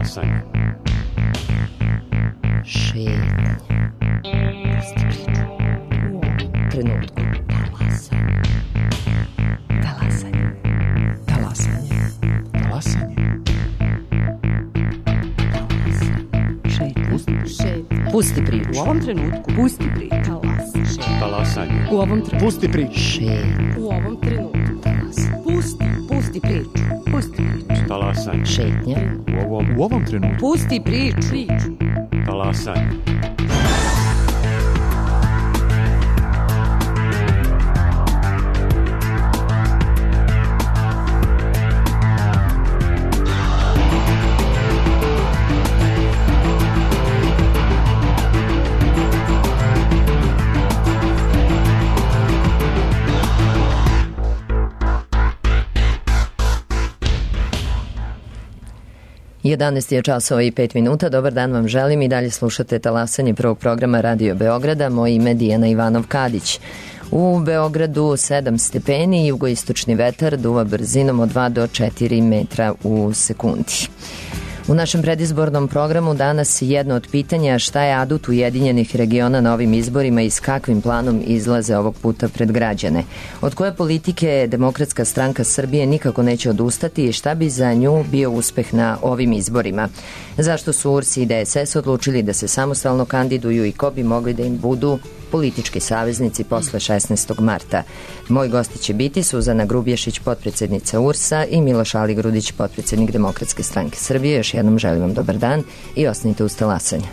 Talasanje. Šetnje. Trenutku. Talasanje. Talasanje. Pusti priču. U ovom trenutku. Pusti priču. Talasanje. U ovom trenutku. Pusti priču. Šetnje. U ovom trenutku. Pusti priču. Pusti priču. Talasanje. Šetnja. U ovom trenutku. Pusti priču. Talasanje. Jedanaest je časova i 5 minuta. Dobar dan vam želim i dalje slušate talasanje prvog programa Radio Beograda. Moje ime je Dijana Ivanov-Kadić. U Beogradu 7 stepeni, jugoistočni vetar duva brzinom od 2 do 4 metra u sekundi. U našem predizbornom programu danas jedno od pitanja šta je adut Ujedinjenih regiona na ovim izborima i s kakvim planom izlaze ovog puta pred građane. Od koje politike Demokratska stranka Srbije nikako neće odustati i šta bi za nju bio uspeh na ovim izborima. Zašto su URS i DSS odlučili da se samostalno kandiduju i ko bi mogli da im budu politički saveznici posle 16. marta. Moji gosti će biti Suzana Grubješić, potpredsednica URS-a i Miloš Aligrudić, potpredsednik Demokratske stranke Srbije. Još jednom želim vam dobar dan i ostanite uz talasanje.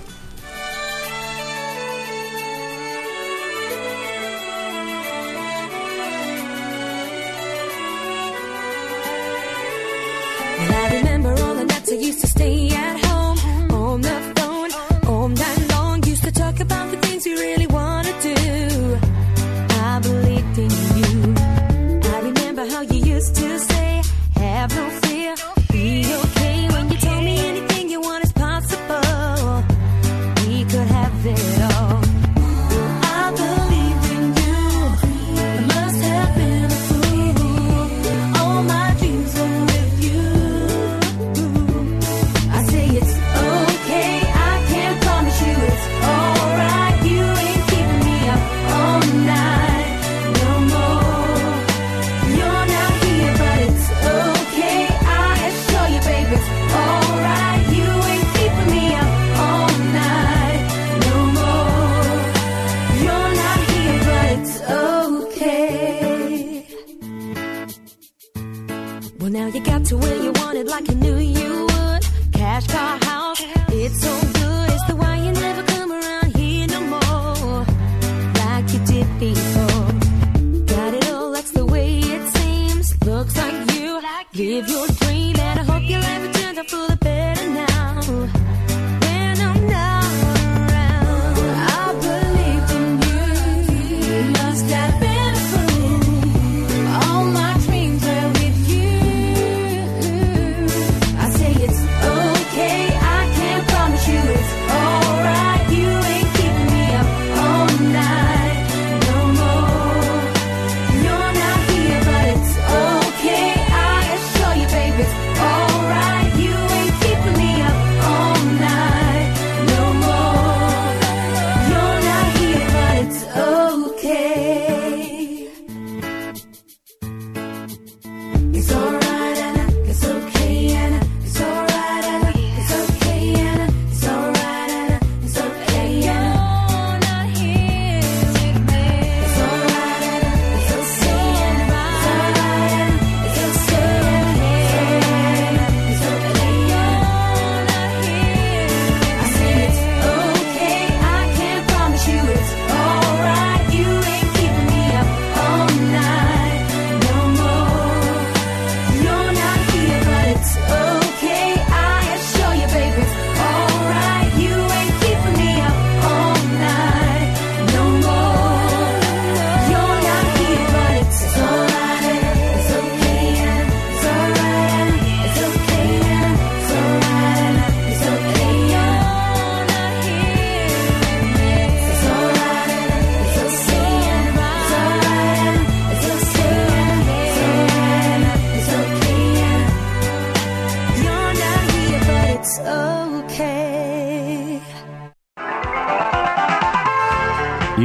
You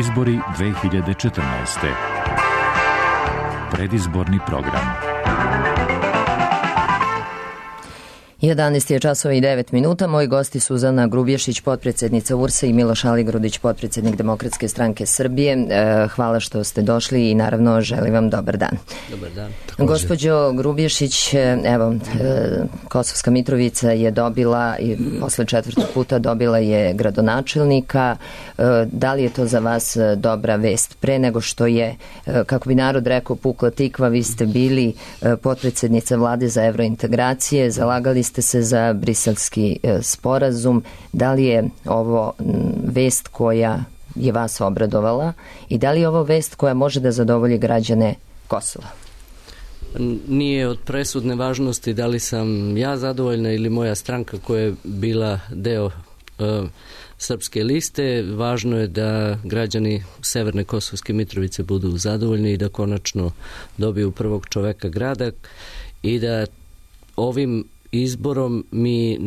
Izbori 2014. Predizborni program. 11 je časova i 9 minuta. Moji gosti Suzana Grubješić, potpredsjednica URS-a i Miloš Aligrudić, potpredsjednik Demokratske stranke Srbije. Hvala što ste došli i naravno želim vam dobar dan. Dobar dan. Gospođo Grubješić, evo, Kosovska Mitrovica je dobila i posle 4. puta dobila je gradonačelnika. Da li je to za vas dobra vest? Pre nego što je, kako bi narod rekao, pukla tikva, vi ste bili potpredsjednica vlade za evrointegracije, zalagali ste se za briselski sporazum. Da li je ovo vest koja je vas obradovala i da li je ovo vest koja može da zadovolji građane Kosova? Nije od presudne važnosti da li sam ja zadovoljna ili moja stranka koja je bila deo srpske liste. Važno je da građani Severne Kosovske Mitrovice budu zadovoljni i da konačno dobiju prvog čoveka grada i da ovim izborom mi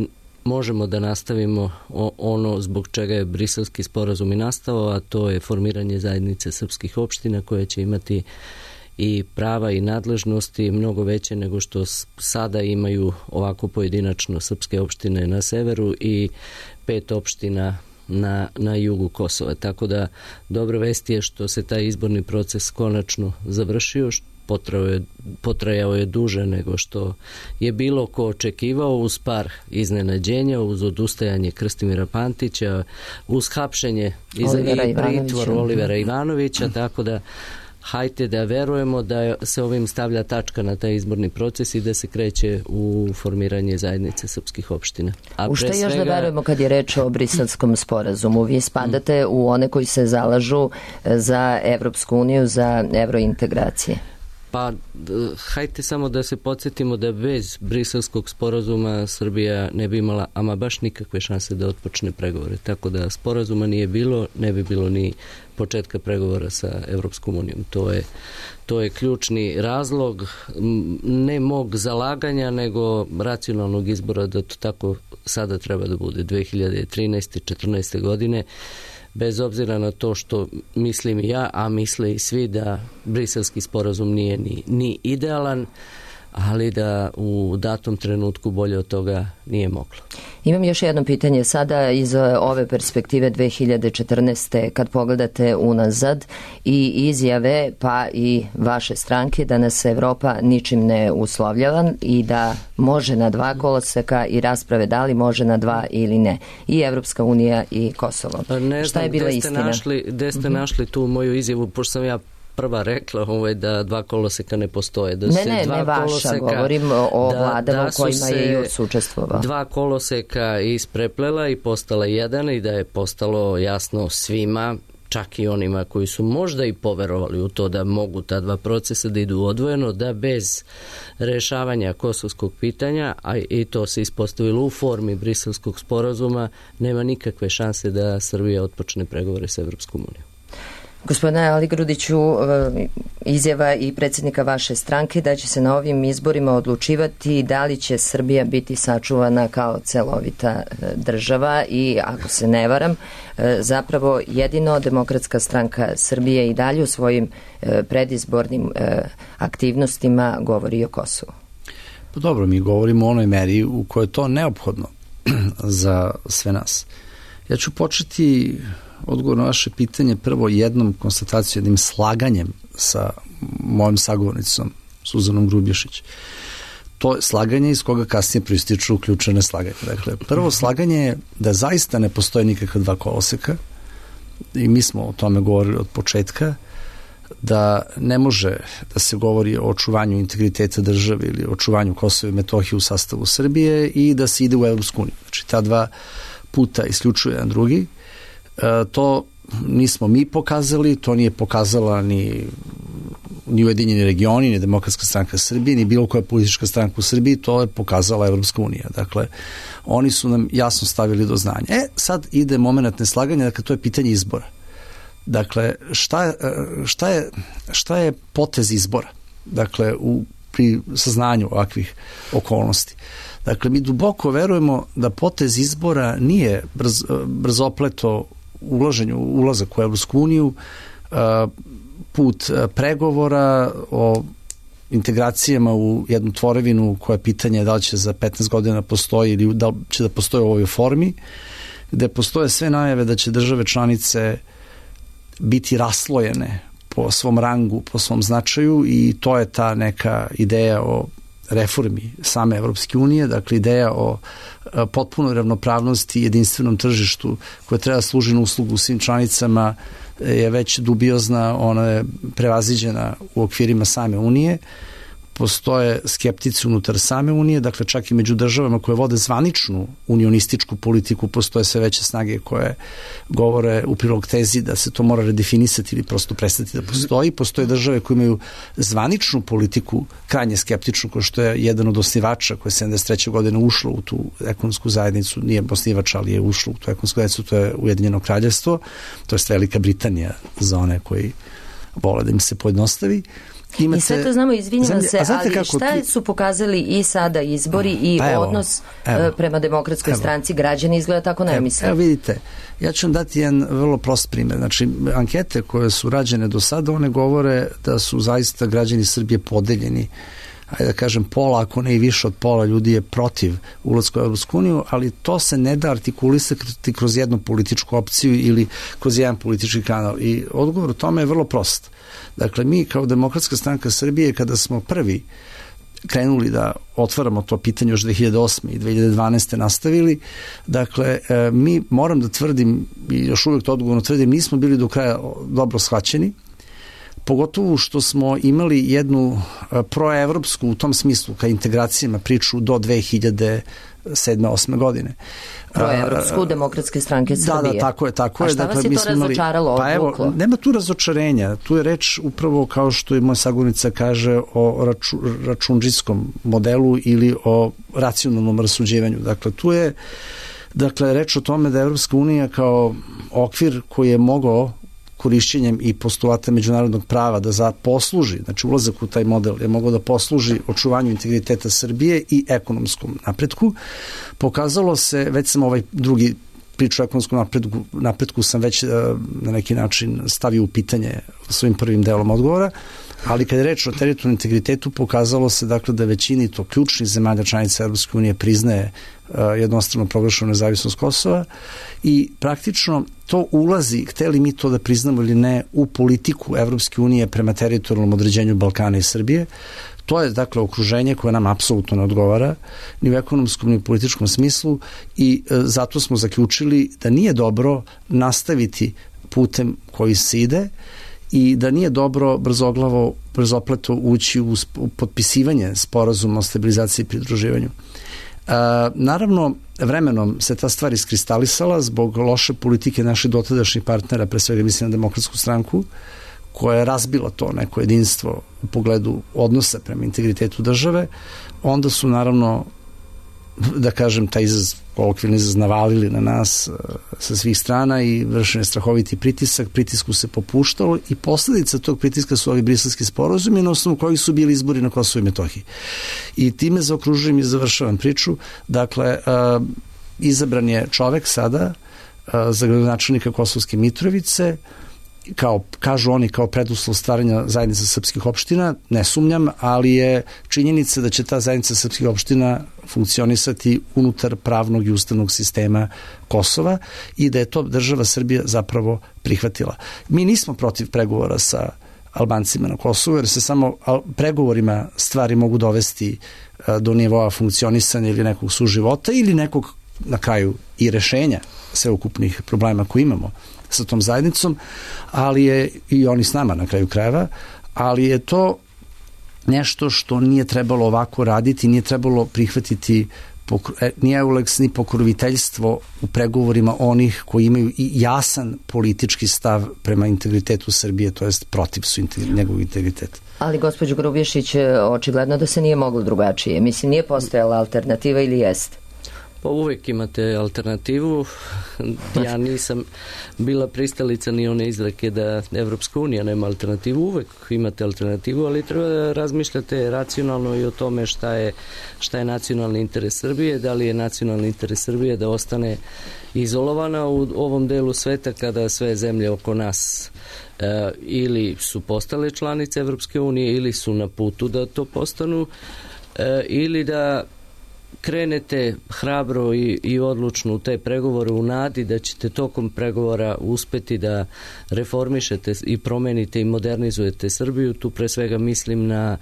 možemo da nastavimo ono zbog čega je briselski sporazum i nastao, a to je formiranje zajednice srpskih opština koje će imati i prava i nadležnosti mnogo veće nego što sada imaju ovako pojedinačno srpske opštine na severu i 5 opština na jugu Kosova. Tako da dobra vest je što se taj izborni proces konačno završio, potrajao je duže nego što je bilo ko očekivao, uz par iznenađenja, uz odustajanje Krstimira Pantića, uz hapšenje i pritvor Olivera Ivanovića, tako da hajte da verujemo da se ovim stavlja tačka na taj izborni proces i da se kreće u formiranje zajednice srpskih opština. U što još da verujemo kad je reč o briselskom sporazumu? Vi spadate u one koji se zalažu za Evropsku uniju, za evrointegracije. Pa, hajte samo da se podsjetimo da bez briselskog sporazuma Srbija ne bi imala ama baš nikakve šanse da otpočne pregovore. Tako da sporazuma nije bilo, ne bi bilo ni početka pregovora sa Evropskom unijom. To je ključni razlog ne mog zalaganja, nego racionalnog izbora da to tako sada treba da bude 2013. 14. godine. Bez obzira na to što mislim i ja, a misle i svi da briselski sporazum nije ni idealan, ali da u datom trenutku bolje od toga nije moglo. Imam još jedno pitanje sada iz ove perspektive 2014. kad pogledate unazad i izjave pa i vaše stranke da nas Evropa ničim ne uslovljava i da može na 2 koloseka i rasprave da li može na 2 ili ne. I Evropska unija i Kosovo. Šta je bila istina? Gde ste našli tu moju izjavu, pošto sam ja prva rekla da 2 koloseka ne postoje. Ne vaša, govorim o vladama u kojima je JURS učestvovao. 2 koloseka ispreplela i postala jedan i da je postalo jasno svima, čak i onima koji su možda i poverovali u to da mogu ta 2 procesa da idu odvojeno, da bez rešavanja kosovskog pitanja, a i to se ispostavilo u formi briselskog sporazuma, nema nikakve šanse da Srbija otpočne pregovore s Evropskom unijom. Gospodine Aligrudiću, izjava i predsjednika vaše stranke da će se na ovim izborima odlučivati da li će Srbija biti sačuvana kao celovita država i, ako se ne varam, zapravo jedino Demokratska stranka Srbije i dalje u svojim predizbornim aktivnostima govori o Kosovu. Pa dobro, mi govorimo o onoj meri u kojoj je to neophodno za sve nas. Ja ću početi odgovor na vaše pitanje prvo jednom konstatacijom, jednim slaganjem sa mojom sagovornicom Suzanom Grubješić. To je slaganje iz koga kasnije proističu ključne slaganje. Dakle, prvo slaganje je da zaista ne postoje nikakva 2 koloseka i mi smo o tome govorili od početka, da ne može da se govori o očuvanju integriteta države ili o očuvanju Kosova i Metohije u sastavu Srbije i da se ide u Evropsku uniju. Znači, ta 2 puta isključuje jedan drugi. To nismo mi pokazali, to nije pokazala ni Ujedinjeni regioni, ni Demokratska stranka Srbije, ni bilo koja politička stranka u Srbiji, to je pokazala Evropska unija. Dakle, oni su nam jasno stavili do znanja. Sad ide moment neslaganja, dakle, to je pitanje izbora. Dakle, šta je potez izbora? Dakle, pri saznanju ovakvih okolnosti. Dakle, mi duboko verujemo da potez izbora nije brzopleto ulazak u Evropsku uniju, put pregovora o integracijama u jednu tvorevinu koja je pitanje da li će za 15 godina postoji ili da li će da postoji u ovoj formi, gde postoje sve najave da će države članice biti raslojene po svom rangu, po svom značaju, i to je ta neka ideja o reformi same Evropske unije, dakle ideja o potpunoj ravnopravnosti i jedinstvenom tržištu koje treba služi na uslugu svim članicama je već dubiozna, ona je prevaziđena u okvirima same Unije. Postoje skeptici unutar same Unije, dakle čak i među državama koje vode zvaničnu unionističku politiku postoje sve veće snage koje govore u prilog tezi da se to mora redefinisati ili prosto prestati da postoji. Postoje države koje imaju zvaničnu politiku, krajnje skeptičnu, kao što je jedan od osnivača koje je 73. godine ušlo u tu ekonomsku zajednicu, nije osnivač, ali je ušlo u tu ekonomsku zajednicu, to je Ujedinjeno kraljevstvo, to je Velika Britanija za one koji vole da im se pojednostavi. I sve to znamo, izvinjam se, ali šta su pokazali i sada izbori i odnos prema Demokratskoj stranci? Građani izgleda tako ne misle. Evo vidite, ja ću vam dati jedan vrlo prost primjer. Znači, ankete koje su rađene do sada, one govore da su zaista građani Srbije podeljeni. Ajde da kažem pola, ako ne i više od pola ljudi je protiv ulaska u Evropsku uniju, ali to se ne da artikulisati kroz jednu političku opciju ili kroz jedan politički kanal. I odgovor u tome je vrlo prost. Dakle, mi kao Demokratska stranka Srbije, kada smo prvi krenuli da otvaramo to pitanje još 2008. i 2012. nastavili, dakle, mi, moram da tvrdim, i još uvijek to odgovorno tvrdim, nismo bili do kraja dobro shvaćeni, pogotovo što smo imali jednu proevropsku u tom smislu ka integracijama priču do 2007-2008. godine. Proevropsku Demokratske stranke Srbije. Da, tako je. A šta vas je to razočaralo, odvuklo? Nema tu razočarenja, tu je reč upravo kao što i moja sagovornica kaže o račundžijskom modelu ili o racionalnom rasuđivanju. Dakle, tu je reč o tome da Evropska unija kao okvir koji je mogao korišćenjem i postulata međunarodnog prava da posluži, znači ulazak u taj model je mogao da posluži očuvanju integriteta Srbije i ekonomskom napretku. Pokazalo se, već sam ovaj drugi priču o ekonomskom napretku sam već na neki način stavio u pitanje svojim prvim delom odgovora, ali kad je reč o teritorijalnom integritetu pokazalo se dakle da većini to ključnih zemalja članica Evropske unije priznaje jednostrano proglašenu nezavisnost Kosova i praktično to ulazi, hteli mi to da priznamo ili ne, u politiku Evropske unije prema teritorijalnom određenju Balkana i Srbije. To je dakle okruženje koje nam apsolutno ne odgovara ni u ekonomskom ni u političkom smislu i zato smo zaključili da nije dobro nastaviti putem koji se ide i da nije dobro brzopleto ući u potpisivanje sporazuma o stabilizaciji i pridruživanju. Naravno, vremenom se ta stvar iskristalisala zbog loše politike naših dotadašnjih partnera, pre svega mislim na Demokratsku stranku, koja je razbila to neko jedinstvo u pogledu odnosa prema integritetu države. Onda su naravno, da kažem, taj kolokvijalni izraz navalili na nas sa svih strana i vršen je strahoviti pritisak, pritisku se popuštalo i posledica tog pritiska su ovi briselski sporazumi na osnovu kojih su bili izbori na Kosovu i Metohiji. I time zaokružujem i završavam priču. Dakle, izabran je čovek sada za gradonačelnika Kosovske Mitrovice, kažu oni kao preduslov stvaranja zajednice srpskih opština, ne sumnjam, ali je činjenica da će ta zajednica srpskih opština funkcionisati unutar pravnog i ustavnog sistema Kosova i da je to država Srbija zapravo prihvatila. Mi nismo protiv pregovora sa Albancima na Kosovu, jer se samo pregovorima stvari mogu dovesti do nivoa funkcionisanja ili nekog suživota ili nekog na kraju i rešenja sveukupnih problema koje imamo sa tom zajednicom, ali je i oni s nama na kraju krajeva, ali je to nešto što nije trebalo ovako raditi, nije trebalo prihvatiti ni EULEX, ni pokroviteljstvo u pregovorima onih koji imaju i jasan politički stav prema integritetu Srbije, to jest protiv su njegovog integriteta. Ali, gospođo Grubješić, očigledno da se nije moglo drugačije. Mislim, nije postojala alternativa ili jeste? Pa uvijek imate alternativu. Ja nisam bila pristalica ni one izreke da Evropska unija nema alternativu. Uvijek imate alternativu, ali treba da razmišljate racionalno i o tome šta je nacionalni interes Srbije, da li je nacionalni interes Srbije da ostane izolovana u ovom delu sveta kada sve zemlje oko nas ili su postale članice Evropske unije ili su na putu da to postanu, ili da krenete hrabro i odlučno u te pregovore u nadi da ćete tokom pregovora uspeti da reformišete i promenite i modernizujete Srbiju. Tu pre svega mislim na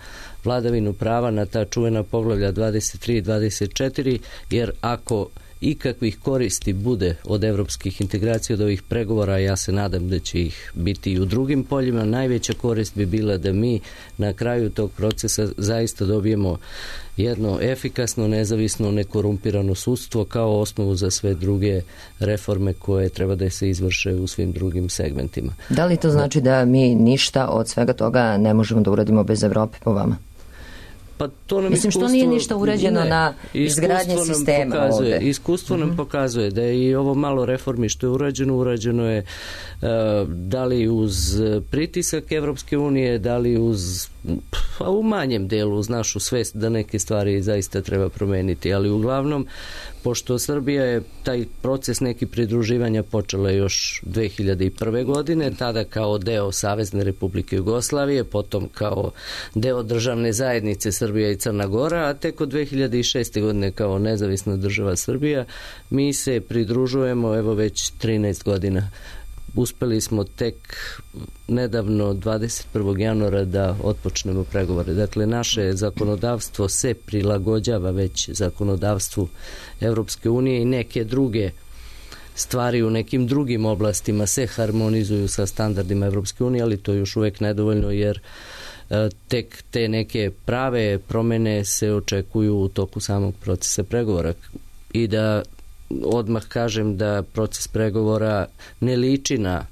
vladavinu prava, na ta čuvena poglavlja 23 i 24, jer ako ikakvih koristi bude od evropskih integracija, od ovih pregovora, ja se nadam da će ih biti i u drugim poljima, najveća korist bi bila da mi na kraju tog procesa zaista dobijemo jedno efikasno, nezavisno, nekorumpirano sudstvo kao osnovu za sve druge reforme koje treba da se izvrše u svim drugim segmentima. Da li to znači da mi ništa od svega toga ne možemo da uradimo bez Evrope po vama? Pa to nam mislim što nije ništa urađeno na izgradnji sistema ovde. Iskustvo nam pokazuje da je i ovo malo reformi što je urađeno je da li uz pritisak Evropske unije, da li u manjem delu uz našu svest da neke stvari zaista treba promeniti, ali uglavnom pošto Srbija je taj proces neki pridruživanja počela još 2001. godine, tada kao deo Savezne Republike Jugoslavije, potom kao deo državne zajednice Srbija i Crna Gora, a tek od 2006. godine kao nezavisna država Srbija, mi se pridružujemo evo već 13 godina. Uspeli smo tek nedavno 21. januara da otpočnemo pregovore. Dakle, naše zakonodavstvo se prilagođava već zakonodavstvu Evropske unije i neke druge stvari u nekim drugim oblastima se harmonizuju sa standardima Evropske unije, ali to je još uvek nedovoljno jer tek te neke prave promene se očekuju u toku samog procesa pregovora. I da odmah kažem da proces pregovora ne liči na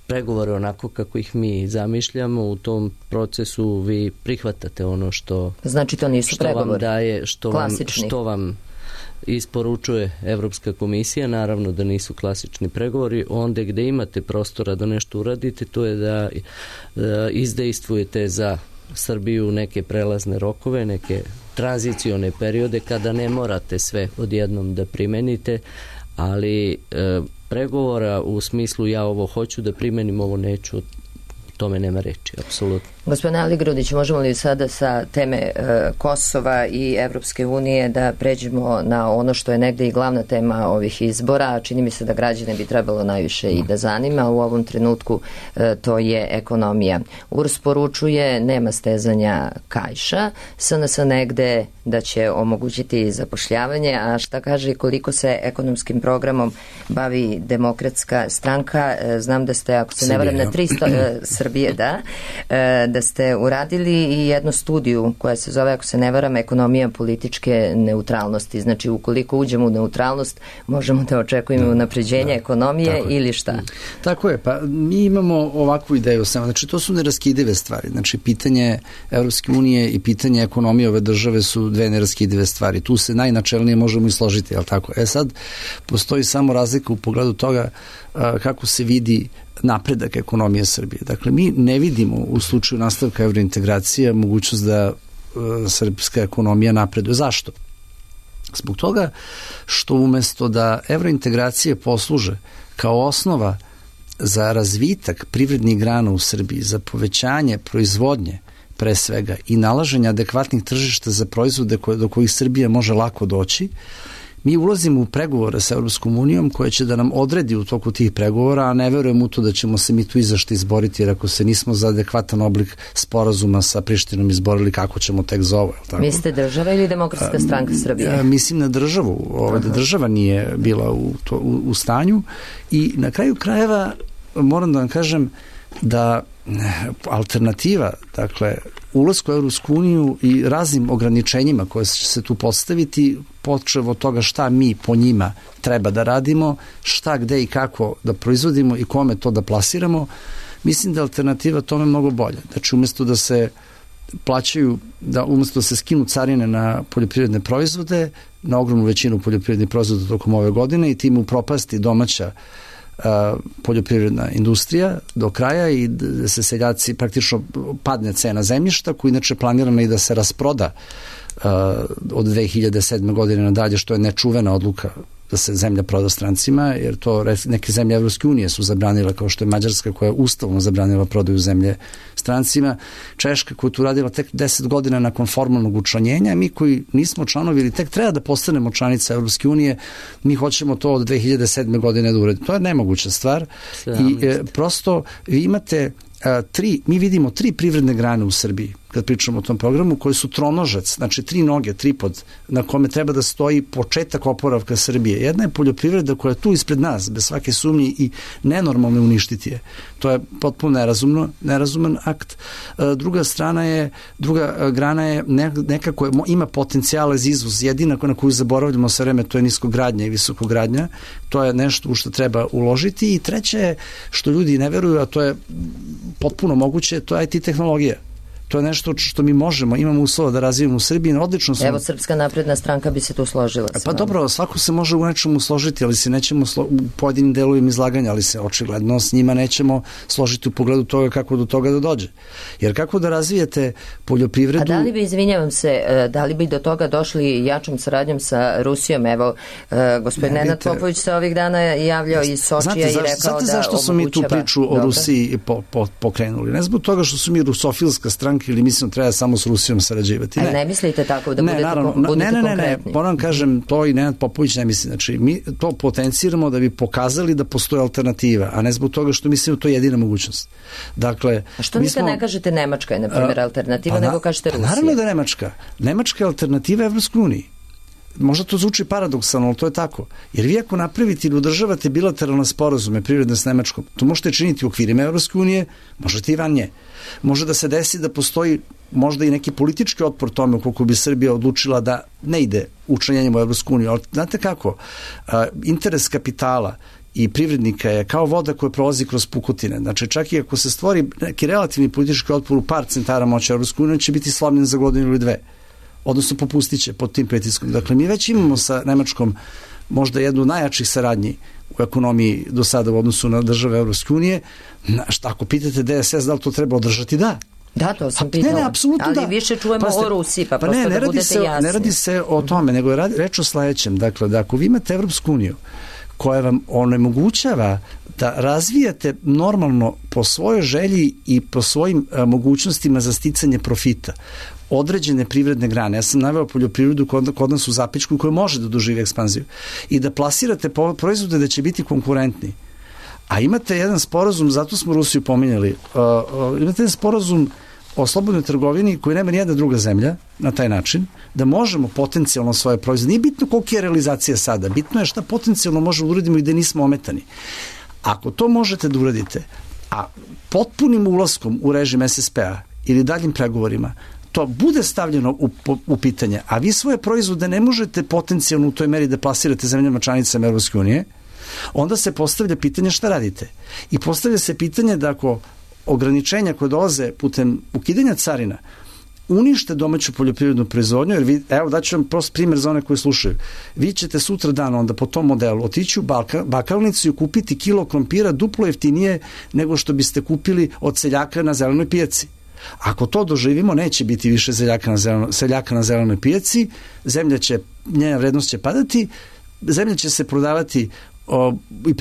pregovore onako kako ih mi zamišljamo. U tom procesu vi prihvatate ono što znači to nisu pregovori vam daje, što vam isporučuje Evropska komisija. Naravno da nisu klasični pregovori. Onda gde imate prostora da nešto uradite, to je da izdejstvujete za Srbiju neke prelazne rokove, neke tranzicione periode kada ne morate sve odjednom da primenite, ali pregovora u smislu ja ovo hoću da primenim, ovo neću, o tome nema reči, apsolutno. Gospodine Ali Grudić, možemo li sada sa teme Kosova i Evropske unije da pređemo na ono što je negde i glavna tema ovih izbora, čini mi se da građane bi trebalo najviše i da zanima u ovom trenutku, to je ekonomija. URS poručuje nema stezanja kaiša, SNS negde da će omogućiti zapošljavanje, a šta kaže koliko se ekonomskim programom bavi Demokratska stranka? Znam da ste, ako se ne varam, na 300 Srbije, da ste uradili i jednu studiju koja se zove, ako se ne varam, ekonomija političke neutralnosti. Znači, ukoliko uđemo u neutralnost, možemo da očekujemo unapređenje ekonomije ili šta? Tako je, pa mi imamo ovakvu ideju samo. Znači, to su neraskidive stvari. Znači, pitanje Evropske unije i pitanje ekonomije ove države su dve neraskidive stvari. Tu se najnačelnije možemo i složiti, jel tako? Sad, postoji samo razlika u pogledu toga kako se vidi napredak ekonomije Srbije. Dakle, mi ne vidimo u slučaju nastavka evrointegracija mogućnost da srpska ekonomija napreduje. Zašto? Zbog toga što umesto da evrointegracije posluže kao osnova za razvitak privrednih grana u Srbiji, za povećanje proizvodnje pre svega i nalaženje adekvatnih tržišta za proizvode do kojih Srbija može lako doći, mi ulazimo u pregovore sa Evropskom unijom koja će da nam odredi u toku tih pregovora, a ne verujem u to da ćemo se mi tu izašti izboriti, jer ako se nismo za adekvatan oblik sporazuma sa Prištinom izborili, kako ćemo tek za ovo. Tako? Mislite država ili Demokratska stranka Srbije? Mislim na državu, da država nije bila u stanju i na kraju krajeva moram da vam kažem da alternativa, dakle, ulasku u Evropsku uniju i raznim ograničenjima koje će se tu postaviti, počev od toga šta mi po njima treba da radimo, šta, gde i kako da proizvodimo i kome to da plasiramo, mislim da je alternativa tome mnogo bolja. Znači, umesto da se plaćaju, umesto da se skinu carine na poljoprivredne proizvode, na ogromnu većinu poljoprivrednih proizvoda tokom ove godine i tim upropasti domaća poljoprivredna industrija do kraja i da se seljaci praktično padne cena zemljišta koja inače planirana i da se rasproda od 2007. godine nadalje, što je nečuvena odluka da se zemlja proda strancima, jer to neke zemlje Evropske unije su zabranile, kao što je Mađarska koja je ustavno zabranila prodaju zemlje strancima, Češka koja je tu radila tek 10 godina nakon formalnog učlanjenja, mi koji nismo članovi ili tek treba da postanemo članica Evropske unije, mi hoćemo to od 2007. godine da uradimo. To je nemoguća stvar i prosto vi imate mi vidimo 3 privredne grane u Srbiji kad pričamo o tom programu, koji su tronožac, znači 3 noge, tripod, na kome treba da stoji početak oporavka Srbije. Jedna je poljoprivreda koja je tu ispred nas, bez svake sumnje i nenormalno uništiti je. To je potpuno nerazuman akt. Druga grana je neka koja ima potencijale za izvoz. Jedina na koju zaboravljamo sve vreme, to je niskogradnja i visokogradnja. To je nešto u što treba uložiti. I treće je, što ljudi ne veruju, a to je potpuno moguće, to je IT tehnologija. To je nešto što mi možemo, imamo uslova da razvijemo u Srbiji. Odlično smo... Evo, Srpska napredna stranka bi se tu složila. Pa dobro, svako se može u nečemu složiti, ali se nećemo u pojedinim delovima izlaganja, ali se očigledno s njima nećemo složiti u pogledu toga kako do toga da dođe. Jer kako da razvijete poljoprivredu... A da li bi, izvinjavam se, da li bi do toga došli jačom saradnjom sa Rusijom? Evo, gospodin Nenad Popović se ovih dana javljao iz Sočija i rekao da... Znate zašto smo mi tu priču o Rusiji pokrenuli? Ne zbog toga što su mi rusofilska stranka ili mislim treba samo s Rusijom sarađivati. Ne mislite tako da budete konkretni? Ne, moram kažem, to i Nenad Popović ne misli. Znači, mi to potenciramo da bi pokazali da postoje alternativa, a ne zbog toga što mislimo to je jedina mogućnost. Dakle, a što nikad ne kažete Nemačka je, na primjer, alternativa, nego kažete Rusija? Naravno da je Nemačka. Nemačka je alternativa Evropskoj uniji. Možda to zvuči paradoksalno, ali to je tako. Jer vi ako napravite ili udržavate bilateralne sporazume privredne s Nemačkom, to možete činiti u okvirima Evropske unije, možete i van nje. Može da se desi da postoji možda i neki politički otpor tome ukoliko bi Srbija odlučila da ne ide učlanjenjem u Evropsku uniju. Ali znate kako? Interes kapitala i privrednika je kao voda koja prolazi kroz pukotine. Znači, čak i ako se stvori neki relativni politički otpor u par centara moći Evropske unije, će biti slomljen za godinu ili dve. Odnosno popustit će pod tim pritiskom. Dakle, mi već imamo sa Nemačkom možda jednu najjačih saradnji u ekonomiji do sada u odnosu na države Evropske unije. Ako pitate DSS da li to treba održati, da. Da, to sam pitala. Ne, apsolutno ali da. više čujemo o Rusiji, pa prosto da budete jasni. Ne radi se o tome, nego je reč o sledećem. Dakle, da ako vi imate Evropsku uniju koja vam onemogućava da razvijate normalno po svojoj želji i po svojim mogućnostima za sticanje profita određene privredne grane. Ja sam naveo poljoprivredu kod nas u Zapećku koja može da doživi ekspanziju i da plasirate proizvode da će biti konkurentni. A imate jedan sporazum, zato smo Rusiju pominjali, imate jedan sporazum o slobodnoj trgovini koji nema nijedna druga zemlja na taj način, da možemo potencijalno svoje proizvode. Nije bitno kolika je realizacija sada, bitno je šta potencijalno možemo da uradimo i da nismo ometani. Ako to možete da uradite, a potpunim ulaskom u režim SSP-a ili daljim pregovorima, to bude stavljeno u pitanje, a vi svoje proizvode ne možete potencijalno u toj meri da plasirate zemljama članicama Evropske unije, onda se postavlja pitanje šta radite. I postavlja se pitanje da ako ograničenja koje dolaze putem ukidanja carina unište domaću poljoprivrednu proizvodnju, jer evo daću vam prost primjer za one koji slušaju. Vi ćete sutra dan onda po tom modelu otići u bakalnicu i kupiti kilo krompira duplo jeftinije nego što biste kupili od seljaka na zelenoj pijaci. Ako to doživimo, neće biti više seljaka na zelenoj pijaci, njena vrednost će padati, zemlja će se prodavati i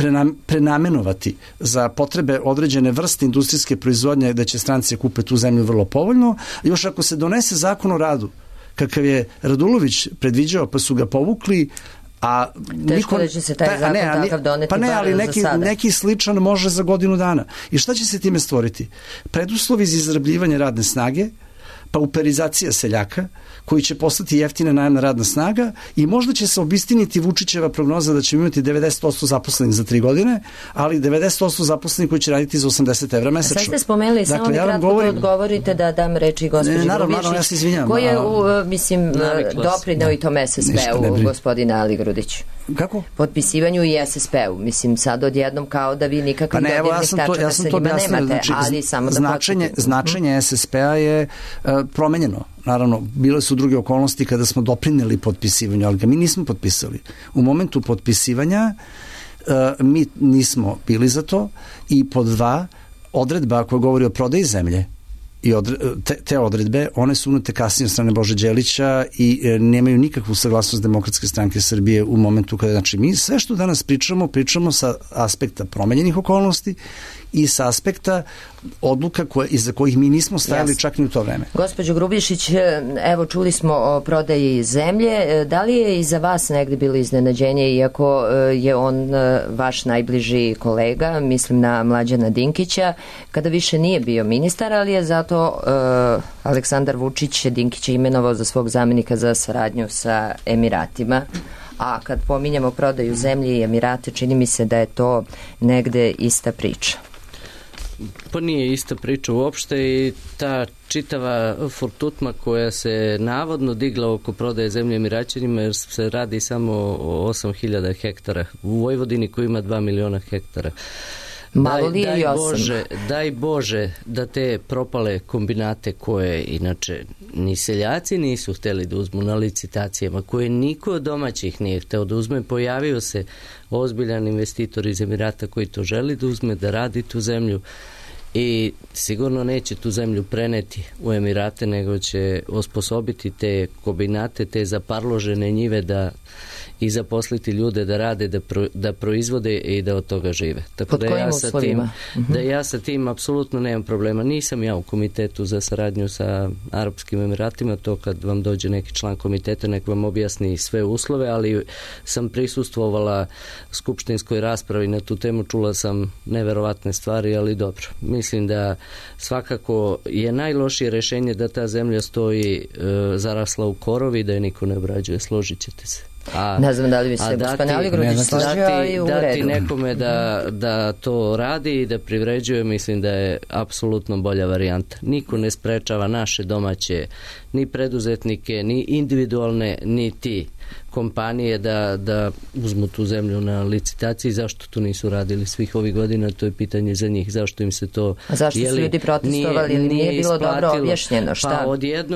prenamenovati za potrebe određene vrste industrijske proizvodnje, da će stranci kupe tu zemlju vrlo povoljno. Još ako se donese zakon o radu, kakav je Radulović predviđao, pa su ga povukli, a teško da će se taj zakon takav doneti, ali neki sličan može za godinu dana. I šta će se time stvoriti? Preduslovi za izrabljivanje radne snage, pauperizacija seljaka, koji će postati jeftina najamna radna snaga i možda će se obistiniti Vučićeva prognoza da ćemo imati 90% zaposlenih za 3 godine, ali 90% zaposlenih koji će raditi za 80 evra mesečno. Sad ste spomenuli, dakle, samo mi kratko odgovorite da dam reči gospođi Grubišić, ja se izvinjam, koji je, doprineo i tom SSP-u, gospodine Ali Grudić. Kako? Potpisivanju i SSP-u. Mislim, sad odjednom kao da vi nikakvih dodirnih tačaka sa njima nemate, znači, ali samo da početite. Značenje SSP-a je promenjeno. Naravno, bile su druge okolnosti kada smo doprineli potpisivanju, ali ga mi nismo potpisali. U momentu potpisivanja mi nismo bili za to i pod 2, odredba koja govori o prodaji zemlje i te odredbe, one su unete kasnije od strane Bože Đelića i nemaju nikakvu saglasnost Demokratske stranke Srbije u momentu kada, znači mi sve što danas pričamo sa aspekta promenjenih okolnosti i sa aspekta odluka iza kojih mi nismo stajali čak ni u to vreme. Gospođo Grubišić, evo čuli smo o prodaji zemlje. Da li je i za vas negde bilo iznenađenje, iako je on vaš najbliži kolega, mislim na Mlađana Dinkića, kada više nije bio ministar, ali je zato Aleksandar Vučić Dinkića imenovao za svog zamenika za saradnju sa Emiratima? A kad pominjamo prodaju zemlje i Emirate, čini mi se da je to negde ista priča. Pa nije ista priča uopšte i ta čitava furtutma koja se navodno digla oko prodaje zemlje Emiraćanima, jer se radi samo o 8.000 hektara u Vojvodini koji ima 2 miliona hektara. Daj Bože da te propale kombinate koje inače ni seljaci nisu hteli da uzmu na licitacijama, koje niko od domaćih nije hteo da uzme, pojavio se ozbiljan investitor iz Emirata koji to želi da uzme, da radi tu zemlju i sigurno neće tu zemlju preneti u Emirate, nego će osposobiti te kombinate, te zaparložene njive i zaposliti ljude da rade, da proizvode i da od toga žive. Tako pod kojim uslovima? Da ja sa tim apsolutno nemam problema. Nisam ja u komitetu za saradnju sa Arapskim Emiratima, to kad vam dođe neki član komiteta nek vam objasni sve uslove, ali sam prisustvovala skupštinskoj raspravi na tu temu, čula sam neverovatne stvari, ali dobro. Mislim da svakako je najlošije rešenje da ta zemlja stoji zarasla u korovi, da je niko ne obrađuje, složit ćete se. Ne znam da li bi se gospodin Aligrudić složio, ali u redu. Dati nekome da to radi i da privređuje, mislim da je apsolutno bolja varijanta. Niko ne sprečava naše domaće ni preduzetnike, ni individualne, ni ti kompanije da uzmu tu zemlju na licitaciji. Zašto to nisu radili svih ovih godina, to je pitanje za njih. Zašto im se to... A zašto su ljudi protestovali ili nije bilo dobro objašnjeno? Šta? Pa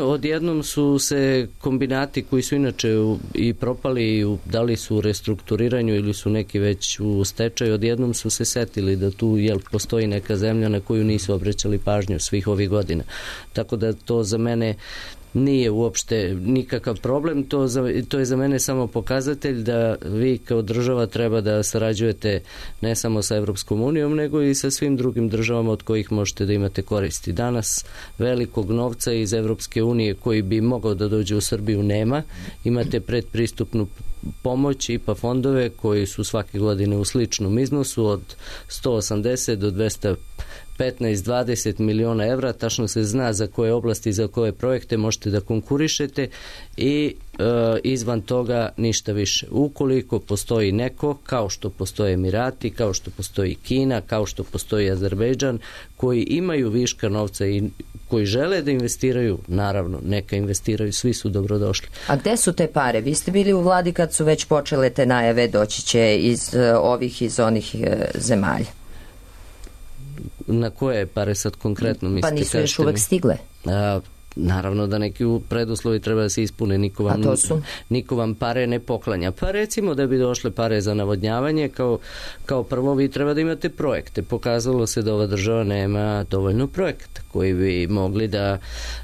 odjednom su se kombinati koji su inače i propali, da li su u restrukturiranju ili su neki već u stečaju, odjednom su se setili da tu postoji neka zemlja na koju nisu obraćali pažnju svih ovih godina. Tako da to za mene nije uopšte nikakav problem, to je za mene samo pokazatelj da vi kao država treba da sarađujete ne samo sa Evropskom unijom, nego i sa svim drugim državama od kojih možete da imate koristi. Danas velikog novca iz Evropske unije koji bi mogao da dođe u Srbiju nema. Imate predpristupnu pomoć, IPA fondove koji su svake godine u sličnom iznosu od 180 do 215-20 miliona evra, tačno se zna za koje oblasti, za koje projekte možete da konkurišete i izvan toga ništa više. Ukoliko postoji neko, kao što postoje Emirati, kao što postoji Kina, kao što postoji Azerbejdžan, koji imaju viška novca i koji žele da investiraju, naravno, neka investiraju, svi su dobrodošli. A gde su te pare? Vi ste bili u vladi kad su već počele te najave, doći će iz onih zemalja. Na koje pare sad konkretno mislite? Pa nisu još uvek stigle. Naravno da neki preduslovi treba da se ispune, niko vam pare ne poklanja. Pa recimo da bi došle pare za navodnjavanje, kao prvo vi treba da imate projekte. Pokazalo se da ova država nema dovoljno projekata koji bi mogli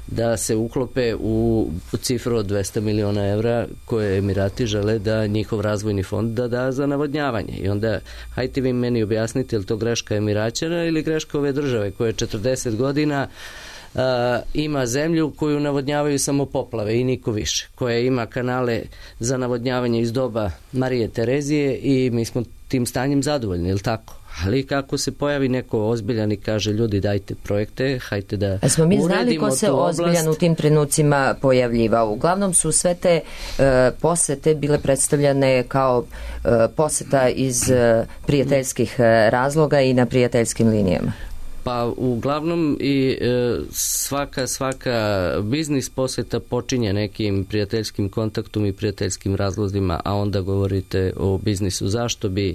da se uklope u cifru od 200 miliona evra koje Emirati žele da njihov razvojni fond da za navodnjavanje. I onda hajte vi meni objasnite, je li to greška Emiraćana ili greška ove države koje 40 godina ima zemlju koju navodnjavaju samo poplave i niko više, koja ima kanale za navodnjavanje iz doba Marije Terezije i mi smo tim stanjem zadovoljni, je li tako? Ali kako se pojavi neko ozbiljan i kaže ljudi dajte projekte, hajte da uredimo tu oblast. Smo mi znali ko se ozbiljan u tim trenucima pojavljivao. Uglavnom su sve te posete bile predstavljane kao poseta iz prijateljskih razloga i na prijateljskim linijama. Pa uglavnom i svaka biznis posjeta počinje nekim prijateljskim kontaktom i prijateljskim razlozima, a onda govorite o biznisu. Zašto bi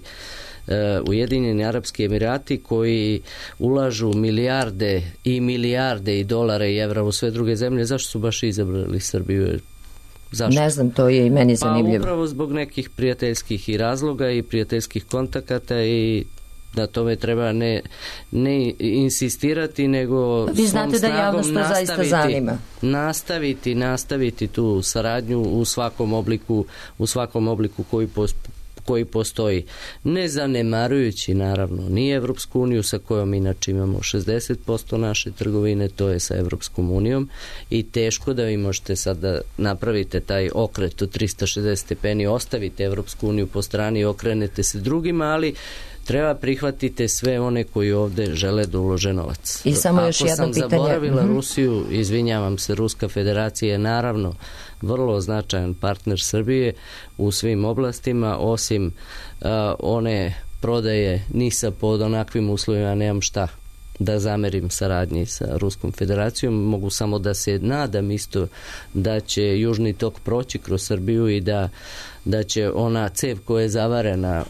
Ujedinjeni Arapski Emirati koji ulažu milijarde i dolara i evra u sve druge zemlje, zašto su baš izabrali Srbiju? Zašto? Ne znam, to je i meni zanimljivo. Pa upravo zbog nekih prijateljskih i razloga i prijateljskih kontakata i da tome treba ne insistirati, nego vi znate da javnost to zaista zanima. Nastaviti tu saradnju u svakom obliku koji postoji. Ne zanemarujući naravno ni Evropsku uniju sa kojom inače imamo 60% naše trgovine, to je sa Evropskom unijom i teško da vi možete sad da napravite taj okret od 360 stepeni, ostavite Evropsku uniju po strani i okrenete se drugima, ali treba prihvatiti sve one koji ovde žele da ulože novac. I samo još jedno pitanje. Ako sam zaboravila Rusiju, izvinjavam se, Ruska federacija je naravno vrlo značajan partner Srbije u svim oblastima, osim one prodaje NIS-a pod onakvim uslovima, nemam šta da zamerim saradnji sa Ruskom federacijom. Mogu samo da se nadam isto da će Južni tok proći kroz Srbiju i da će ona cev koja je zavarena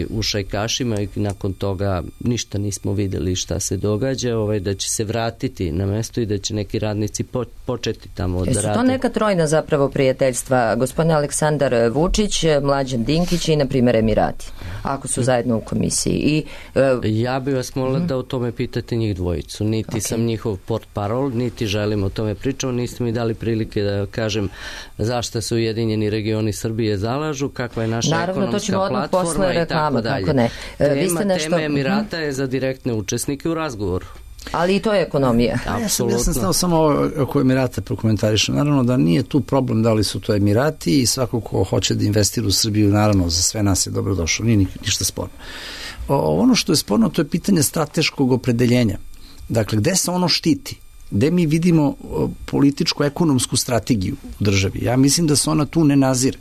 u šajkašima i nakon toga ništa nismo videli šta se događa, da će se vratiti na mesto i da će neki radnici početi tamo da rade. Su to neka trojna zapravo prijateljstva, gospodin Aleksandar Vučić, Mlađan Dinkić i na primjer Emirati, ako su zajedno u komisiji? Ja bih vas molila da o tome pitate njih dvojicu. Niti sam njihov portparol, niti želim o tome pričati, niste mi dali prilike da kažem zašto su Ujedinjeni regioni Srbije zalažu, kakva je naša ekonomska platforma i tako dalje. Tema Emirata je za direktne učesnike u razgovoru. Ali i to je ekonomija. Ja sam stao samo oko Emirata prokomentarišem. Naravno da nije tu problem da li su to Emirati i svako ko hoće da investira u Srbiju, naravno za sve nas je dobrodošao, nije ništa sporno. Ono što je sporno, to je pitanje strateškog opredeljenja. Dakle, gde se ono štiti? Gde mi vidimo političko-ekonomsku strategiju u državi? Ja mislim da se ona tu ne nazire,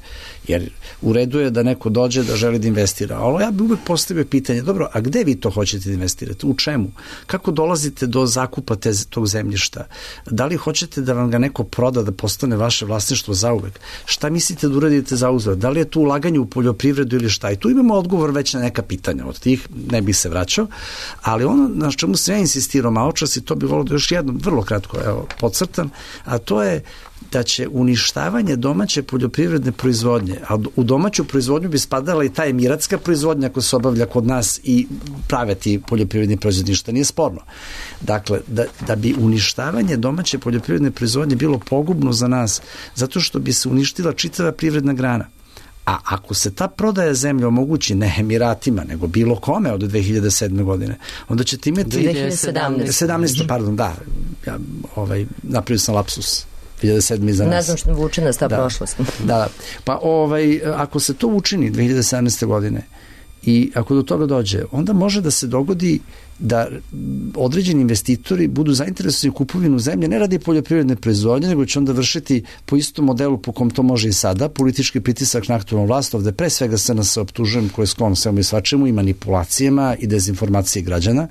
jer u redu je da neko dođe da želi da investira. Ali ja bih uvek postavio pitanje, dobro, a gde vi to hoćete da investirate? U čemu? Kako dolazite do zakupa tog zemljišta? Da li hoćete da vam ga neko proda, da postane vaše vlasništvo zauvek? Šta mislite da uradite za uzvrat? Da li je tu ulaganje u poljoprivredu ili šta? I tu imamo odgovor već na neka pitanja. Od tih ne bih se vraćao, ali ono na čemu se ja insistirao maočas i to bih volio da još jednom vrlo kratko podcrtam, a to je da će uništavanje domaće poljoprivredne proizvodnje, a u domaću proizvodnju bi spadala i ta emiratska proizvodnja koja se obavlja kod nas i prave ti poljoprivredni proizvodi, ništa nije sporno. Dakle, da bi uništavanje domaće poljoprivredne proizvodnje bilo pogubno za nas, zato što bi se uništila čitava privredna grana. A ako se ta prodaja zemlje omogući ne Emiratima, nego bilo kome od 2007. godine, onda ćete imati 2017. Pardon, da, ja napravio sam lapsus. 2007. za nas. Ne znam što vuče nas ta prošlost. Da. Pa ako se to učini 2017. godine i ako do toga dođe, onda može da se dogodi da određeni investitori budu zainteresovani u kupovinu zemlje, ne radi poljoprivredne proizvodnje, nego će onda vršiti po istom modelu po kom to može i sada, politički pritisak na aktualnu vlast, ovde pre svega se nas optužujem koje sklon svemu i svačemu i manipulacijama i dezinformacije građana.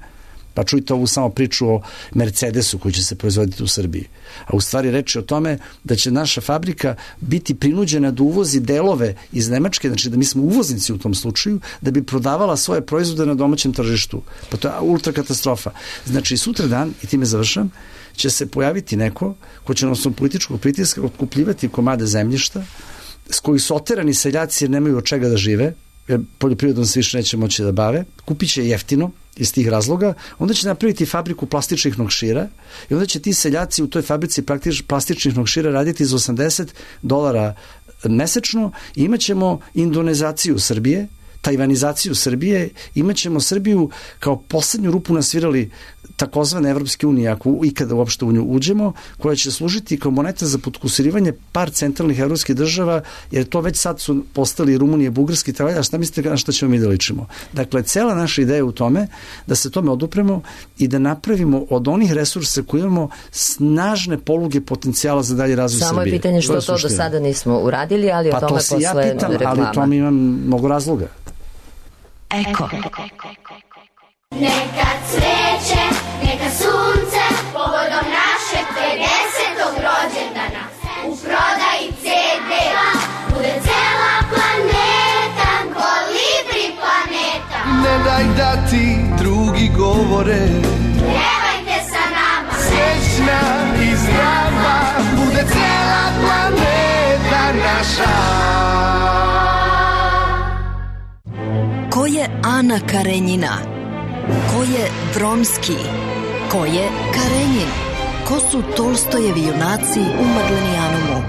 Pa čujte ovu samo priču o Mercedesu koji će se proizvoditi u Srbiji. A u stvari reč je o tome da će naša fabrika biti prinuđena da uvozi delove iz Nemačke, znači da mi smo uvoznici u tom slučaju, da bi prodavala svoje proizvode na domaćem tržištu. Pa to je ultra katastrofa. Znači sutra dan, i time završam, će se pojaviti neko ko će na osnovu političkog pritiska otkupljivati komade zemljišta s koji su oterani seljaci jer nemaju od čega da žive, jer poljoprivredom se više neće moći da bave, kupit će jeftino iz tih razloga, onda će napraviti fabriku plastičnih nokšira i onda će ti seljaci u toj fabrici plastičnih nokšira raditi za $80 mesečno i imat ćemo indonezaciju Srbije, tajvanizaciju Srbije, imat ćemo Srbiju kao poslednju rupu nasvirali takozvane Evropske unije, ako ikada uopšte u nju uđemo, koja će služiti kao moneta za potkusirivanje par centralnih evropskih država, jer to već sad su postali Rumunije, Bugarski, a šta mislite na šta ćemo mi da ličimo? Dakle, cela naša ideja u tome da se tome odupremo i da napravimo od onih resursa koje imamo snažne poluge potencijala za dalje razvoj Srbije. Samo je pitanje što to do sada nismo uradili, ali o tome posle reklama. Pa to si ja pitam, ali to mi imam mnogo razloga. Eko. Neka cveće, neka sunce, povodom našeg 50. rođendana. U prodaji CD bude cela planeta, Kolibri planeta. Ne daj da ti drugi govore, pjevajte sa nama. Srećna i zdrava bude cela planeta naša. Ko je Ana Karenjina? Ko je Vronski? Ko je Karenjin? Ko su Tolstojevi junaci u Maglenijanumu?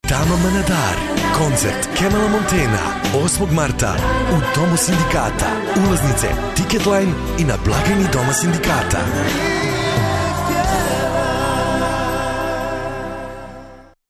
Tama Manadar, koncert Kemala Montena, 8. marta u Domu sindikata. Ulaznice Ticketline i na blagajni Doma sindikata.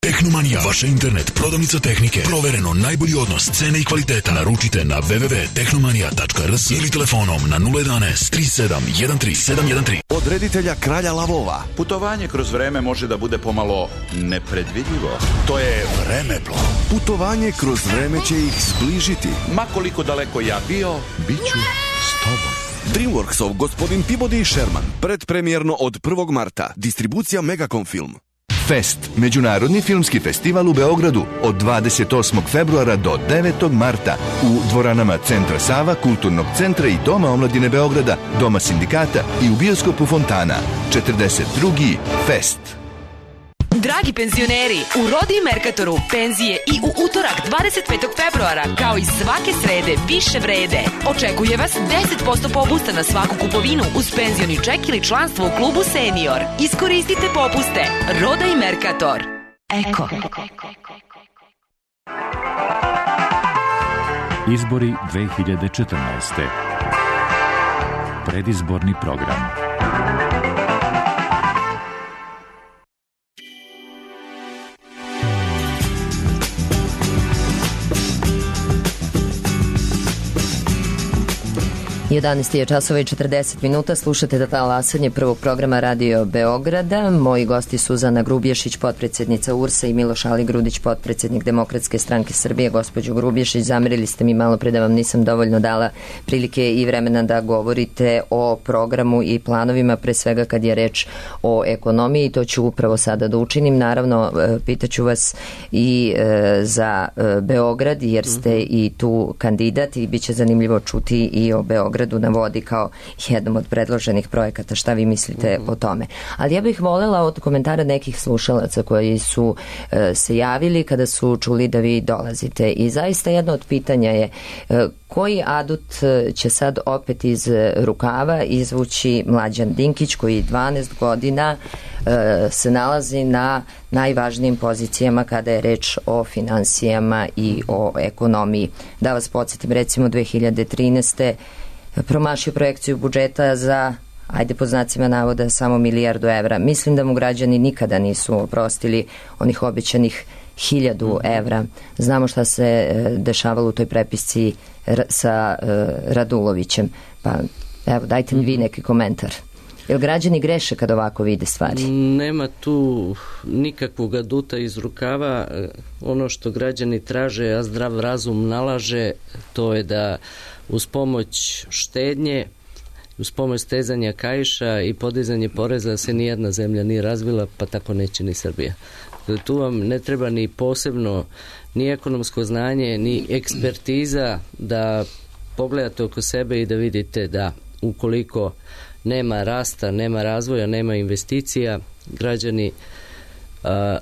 Tehnomanija, vaša internet prodavnica tehnike. Provereno najbolji odnos cene i kvaliteta. Naručite na www.tehnomanija.rs ili telefonom na 011 37 13 713. Od reditelja Kralja lavova. Putovanje kroz vreme može da bude pomalo nepredvidljivo. To je Vremeplov. Putovanje kroz vreme će ih zbližiti. Ma koliko daleko ja bio, bit ću s tobom. Dreamworksov Gospodin Peabody i Sherman. Predpremjerno od 1. marta. Distribucija Megacom Film. Fest, međunarodni filmski festival u Beogradu od 28. februara do 9. marta u dvoranama Centra Sava, Kulturnog centra i Doma omladine Beograda, Doma sindikata i u bioskopu Fontana. 42. Fest. Dragi penzioneri, u Rodi i Merkatoru penzije i u utorak 25. februara, kao i svake srede, više vrede. Očekuje vas 10% popusta na svaku kupovinu uz penzioni ček ili članstvo u klubu Senior. Iskoristite popuste. Roda i Merkator. Eko. Izbori 2014. Predizborni program. Jedanaest je časova i 40 minuta. Slušate talasanje prvog programa Radio Beograda. Moji gosti su Zana Grubješić, potpredsjednica URS-a, i Miloš Aligrudić, potpredsjednik Demokratske stranke Srbije. Gospođo Grubješić, zamerili ste mi malo pre da vam nisam dovoljno dala prilike i vremena da govorite o programu i planovima, pre svega kad je reč o ekonomiji. To ću upravo sada da učinim. Naravno, pitaću vas i za Beograd, jer ste i tu kandidat i bit će zanimljivo čuti i o Beogradu na vodi kao jednom od predloženih projekata. Šta vi mislite o tome? Ali ja bih voljela od komentara nekih slušalaca koji su se javili kada su čuli da vi dolazite. I zaista jedno od pitanja je koji adut će sad opet iz rukava izvući Mlađan Dinkić, koji 12 godina se nalazi na najvažnijim pozicijama kada je reč o finansijama i o ekonomiji. Da vas podsjetim, recimo 2013. promašio projekciju budžeta za, ajde po znacima navoda, samo 1 milijardu evra. Mislim da mu građani nikada nisu oprostili onih obećanih 1000 evra. Znamo šta se dešavalo u toj prepisci sa Radulovićem. Pa evo, dajte mi vi neki komentar. Jel građani greše kad ovako vide stvari? Nema tu nikakvog aduta iz rukava. Ono što građani traže, a zdrav razum nalaže, to je da uz pomoć štednje, uz pomoć stezanja kaiša i podizanje poreza se nijedna zemlja nije razvila, pa tako neće ni Srbija. Tu vam ne treba ni posebno ni ekonomsko znanje, ni ekspertiza da pogledate oko sebe i da vidite da ukoliko nema rasta, nema razvoja, nema investicija, građani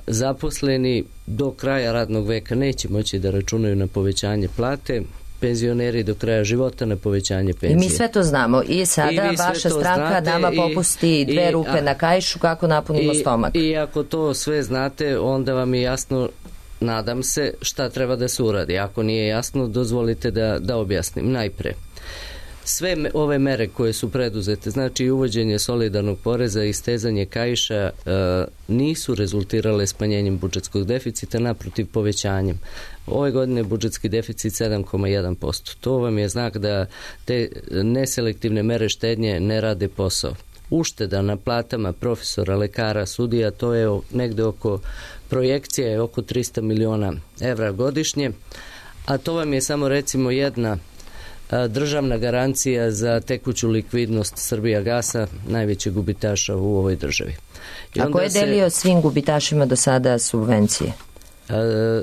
zaposleni do kraja radnog veka neće moći da računaju na povećanje plate, penzioneri do kraja života na povećanje penzije. I mi sve to znamo. I sada vaša stranka nama popusti 2 rupe na kaišu kako napunimo stomak. I ako to sve znate, onda vam je jasno, nadam se, šta treba da se uradi. Ako nije jasno, dozvolite da objasnim. Najpre, sve ove mere koje su preduzete, znači uvođenje solidarnog poreza i stezanje kaiša, nisu rezultirale smanjenjem budžetskog deficita, naprotiv povećanjem. Ove godine budžetski deficit 7,1%. To vam je znak da te neselektivne mere štednje ne rade posao. Ušteda na platama profesora, lekara, sudija, to je negde oko, projekcija je oko 300 miliona evra godišnje, a to vam je samo recimo jedna državna garancija za tekuću likvidnost Srbijagasa, najvećeg gubitaša u ovoj državi. A ko je delio svim gubitašima do sada subvencije?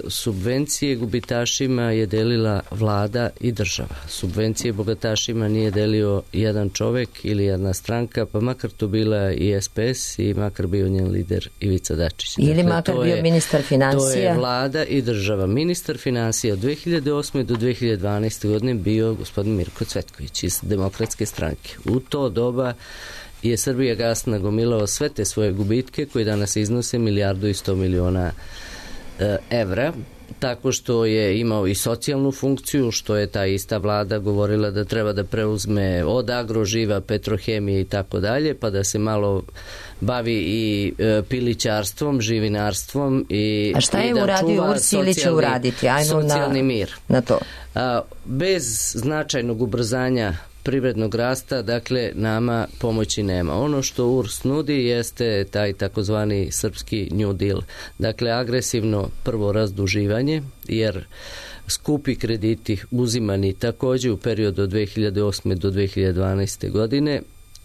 Subvencije gubitašima je delila vlada i država. Subvencije bogatašima nije delio jedan čovek ili jedna stranka, pa makar to bila i SPS i makar bio njen lider Ivica Dačić. Ili makar bio ministar financija. To je vlada i država. Ministar financija od 2008. do 2012. godine bio gospodin Mirko Cvetković iz Demokratske stranke. U to doba je Srbijagas nagomilao sve te svoje gubitke koji danas iznose 1,1 milijardu evra, tako što je imao i socijalnu funkciju, što je ta ista vlada govorila da treba da preuzme od Agroživa, Petrohemije i tako dalje, pa da se malo bavi i pilićarstvom, živinarstvom i a šta je uradio URS ili će uraditi? Socijalni mir. Na to. Bez značajnog ubrzanja privrednog rasta, dakle, nama pomoći nema. Ono što URS nudi jeste taj takozvani srpski New Deal. Dakle, agresivno prvo razduživanje, jer skupi krediti uzimani također u periodu od 2008. do 2012. godine,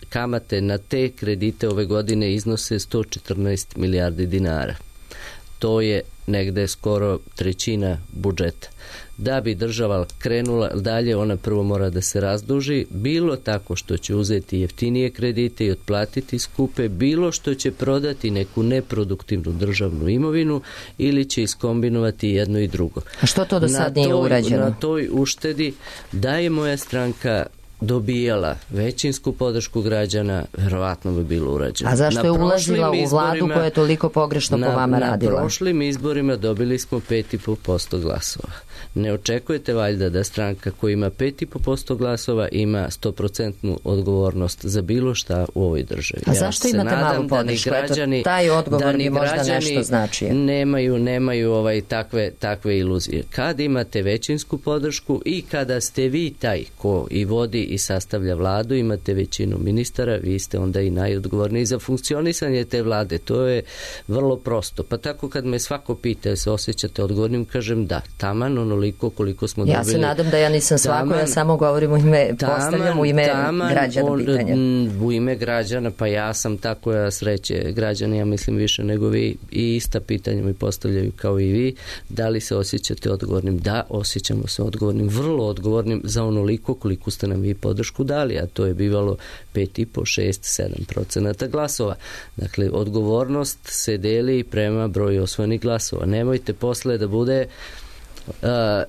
kamate na te kredite ove godine iznose 114 milijardi dinara. To je negde skoro trećina budžeta. Da bi država krenula dalje, ona prvo mora da se razduži, bilo tako što će uzeti jeftinije kredite i otplatiti skupe, bilo što će prodati neku neproduktivnu državnu imovinu ili će iskombinovati jedno i drugo. A što to do sad nije urađeno? Na toj uštedi da je moja stranka dobijala većinsku podršku građana, verovatno bi bilo urađeno. A zašto je ulazila u vladu koja je toliko pogrešno po vama radila? Na prošlim izborima dobili smo 5,5% glasova. Ne očekujete valjda da stranka koja ima 5,5% glasova ima 100% odgovornost za bilo šta u ovoj državi. A zašto imate malu podršku? Taj odgovor mi možda nešto znači. Nemaju takve iluzije. Kad imate većinsku podršku i kada ste vi taj ko i vodi i sastavlja vladu, imate većinu ministara, vi ste onda i najodgovorniji za funkcionisanje te vlade. To je vrlo prosto. Pa tako kad me svako pita se osjećate odgovornim, kažem da, taman onoliko koliko smo dobili. Ja se nadam da ja nisam svako, ja samo govorim u ime, postavljam u ime građana pitanja. U ime građana, pa ja sam tako, ja sreće građani, ja mislim više nego vi, i ista pitanja mi postavljaju kao i vi. Da li se osjećate odgovornim? Da, osjećamo se odgovornim, vrlo odgovornim za onoliko koliko ste nam vi podršku dali, a to je bivalo 5,5, 6, 7% glasova. Dakle, odgovornost se deli prema broju osvojenih glasova. Nemojte posle da bude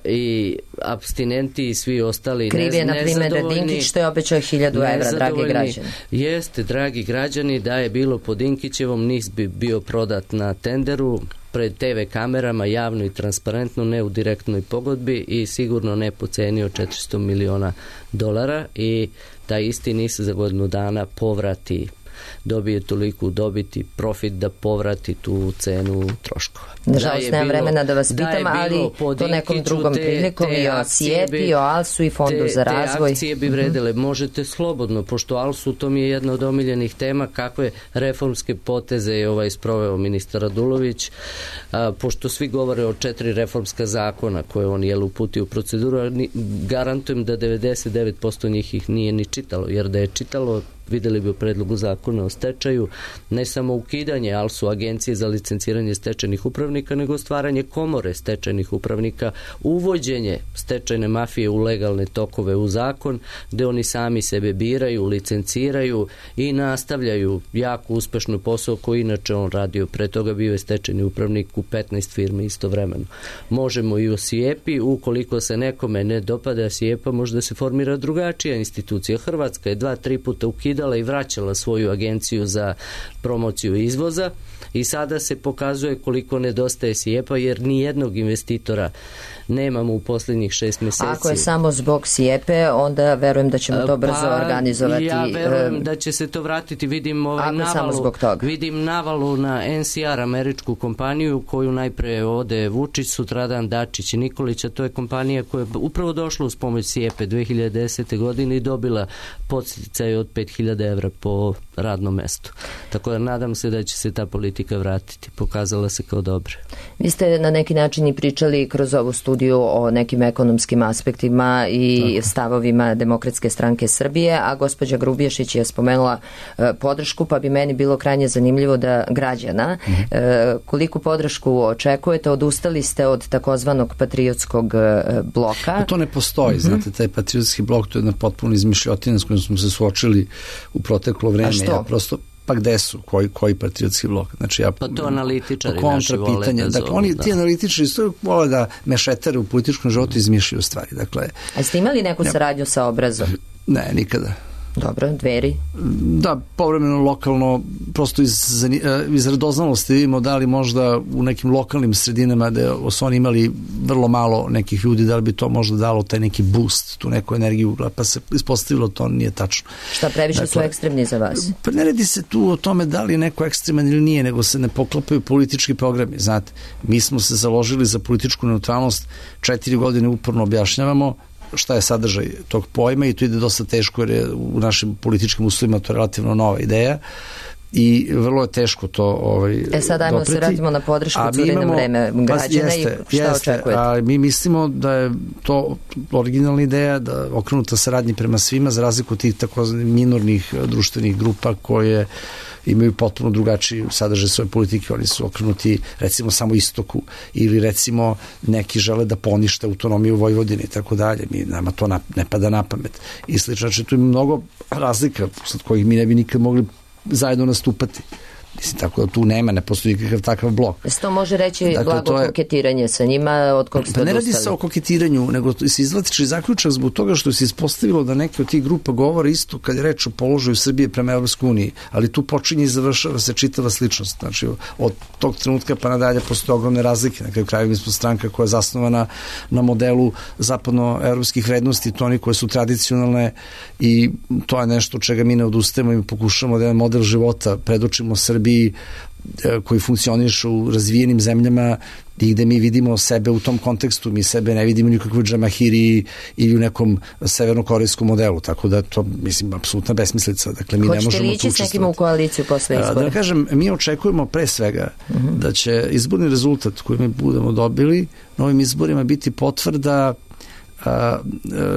i apstinenti i svi ostali kriv je, na primjer, da Dinkić što je obećao 1.000 evra, dragi građani. Jeste, dragi građani, da je bilo po Dinkićevom, NIS bi bio prodat na tenderu, pred TV kamerama, javno i transparentno, ne u direktnoj pogodbi i sigurno ne po ceni od $400 miliona i taj isti NIS za godinu dana povrati, dobije toliko dobiti, profit da povrati tu cenu troškova. Nažalost, nemam vremena da vas pitam, ali to nekom drugom prilikom i o Sijepi, i o Alsu i Fondu za razvoj. Te akcije bi vredele. Možete slobodno, pošto Alsu, to mi je jedna od omiljenih tema, kakve reformske poteze je sproveo ministar Radulović, pošto svi govore o 4 reformska zakona koje on uputio u proceduru, garantujem da 99% njih ih nije ni čitalo, jer da je čitalo, videli bi u predlogu zakona o stečaju ne samo ukidanje ALSU, agencije za licenciranje stečajnih upravnika, nego stvaranje komore stečajnih upravnika, uvođenje stečajne mafije u legalne tokove u zakon, gde oni sami sebe biraju, licenciraju i nastavljaju jako uspešno posao koji inače on radio. Pre toga bio je stečajni upravnik u 15 firmi istovremeno. Možemo i o Sijepi, ukoliko se nekome ne dopada Sijepa, možda se formira drugačija institucija. Hrvatska je 2-3 puta ukidala i vraćala svoju agenciju za promociju izvoza i sada se pokazuje koliko nedostaje Sijepa, jer ni jednog investitora nemamo u posljednjih 6 mjeseci. Ako je samo zbog Sijepe, onda verujem da ćemo to brzo organizovati. Ja verujem da će se to vratiti. Vidim navalu na NCR, američku kompaniju, koju najpre ode Vučić, sutradan Dačić i Nikolić, a to je kompanija koja je upravo došla uz pomoć Sijepe 2010. godine i dobila podsticaj od 5.000 evra po radnom mestu. Tako da nadam se da će se ta politika vratiti. Pokazala se kao dobra. Vi ste na neki način i pričali kroz ovu studiju o nekim ekonomskim aspektima i stavovima Demokratske stranke Srbije, a gospođa Grubješić je spomenula podršku, pa bi meni bilo krajnje zanimljivo da građana, koliku podršku očekujete, odustali ste od takozvanog patriotskog bloka? To ne postoji, znate, taj patriotski blok, to je jedna potpuno izmišljotina s kojom smo se suočili u proteklo vreme. A što? Ja prosto, pa gde su? Koji patriotski blok? Znači, pa to analitičari naši vole da dakle, oni, ti analitičari vole da mešetare u političkom životu izmišljaju stvari. Dakle, a ste imali neku saradnju sa Obrazom? Ne, nikada. Dobro, Dveri? Da, povremeno lokalno, prosto iz radoznalosti vidimo da li možda u nekim lokalnim sredinama da su oni imali vrlo malo nekih ljudi, da li bi to možda dalo taj neki boost, tu neku energiju, pa se ispostavilo to nije tačno. Šta, previše su ekstremni za vas? Pa ne radi se tu o tome da li je neko ekstreman ili nije, nego se ne poklapaju politički programi. Znate, mi smo se založili za političku neutralnost, 4 godine uporno objašnjavamo šta je sadržaj tog pojma i to ide dosta teško jer je u našim političkim uslovima to relativno nova ideja i vrlo je teško to sad ajmo dopreti. Se radimo na podršku curenom vreme građana i šta očekujete? A mi mislimo da je to originalna ideja, da okrenuta saradnji prema svima za razliku od tih takozvanih minornih društvenih grupa koje imaju potpuno drugačiji sadržaj svoje politike, oni su okrenuti recimo samo istoku ili recimo neki žele da ponište autonomiju Vojvodine i tako dalje, nama to ne pada na pamet i slično, znači tu ima mnogo razlika sad kojih mi ne bi nikad mogli zajedno nastupati. Mislim, tako da tu ne postoji nikakav takav blok. Se to može reći blago koketiranje sa njima, od kog ste odustali? Ne radi se o koketiranju, nego se izvlači zaključak zbog toga što se ispostavilo da neke od tih grupa govore isto kad je reč o položaju Srbije prema Evropskoj uniji, ali tu počinje i završava se čitava sličnost. Znači, od tog trenutka pa nadalje postoje ogromne razlike. Na kraju mi smo stranka koja je zasnovana na modelu zapadnoevropskih vrednosti, to oni koje su tradicionalne i to je nešto čega mi ne odustajemo i pokušamo da jedan model života predočimo Srbiji koji funkcionišu u razvijenim zemljama i gde mi vidimo sebe u tom kontekstu, mi sebe ne vidimo nikakvoj džamahiri ili u nekom severnokorejskom modelu, tako da to, mislim, apsolutna besmislica. Dakle, mi ne možemo tu učestvovati. Hoćete li ići s nekim u koaliciju posle izbora? Da kažem, mi očekujemo pre svega da će izborni rezultat koji mi budemo dobili na ovim izborima biti potvrda